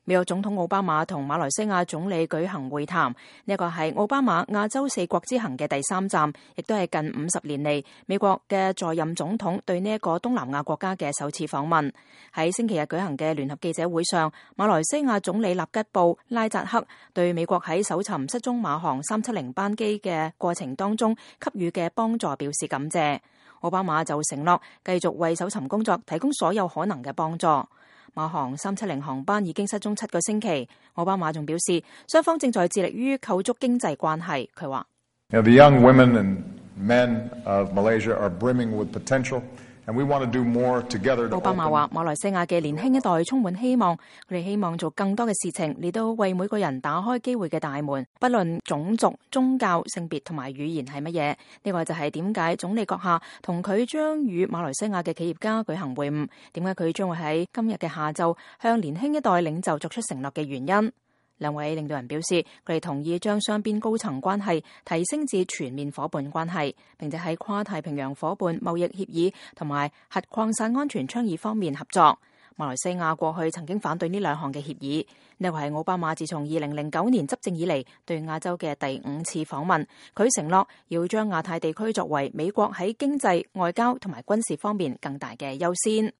美國總統奧巴馬同馬來西亞總理舉行會談，呢個係奧巴馬亞洲4國之行嘅第3站，亦都係近50年嚟美國嘅在任總統對呢一個東南亞國家嘅首次訪問。喺星期日舉行嘅聯合記者會上，馬來西亞總理納吉布拉扎克對美國喺搜尋失蹤馬航370班機嘅過程當中給予嘅幫助表示感謝。奧巴馬就承諾繼續為搜尋工作提供所有可能嘅幫助。馬航370航班已經失蹤7個星期，奧巴馬仲表示，雙方正在致力於構築經濟關係。佢話：The young women and men of Malaysia are brimming with potential, and we want to do more together. 奧巴馬話：馬來西亞嘅年輕一代充滿希望，佢哋希望做更多嘅事情，嚟到為每個人打開機會嘅大門，不論種族、宗教、性別同埋語言係乜嘢。呢個就係點解總理閣下同佢將與馬來西亞嘅企業家舉行會晤，點解佢將會喺今日嘅下晝向年輕一代領袖作出承諾嘅原因。兩位領導人表示，佢哋同意將雙邊高層關係提升至全面伙伴關係，並且喺跨太平洋伙伴貿易協議同埋核擴散安全倡議方面合作。馬來西亞過去曾經反對呢兩項嘅協議。呢個係奧巴馬自從2009年執政以嚟對亞洲嘅第5次訪問。佢承諾要將亞太地區作為美國喺經濟、外交同埋軍事方面更大嘅優先。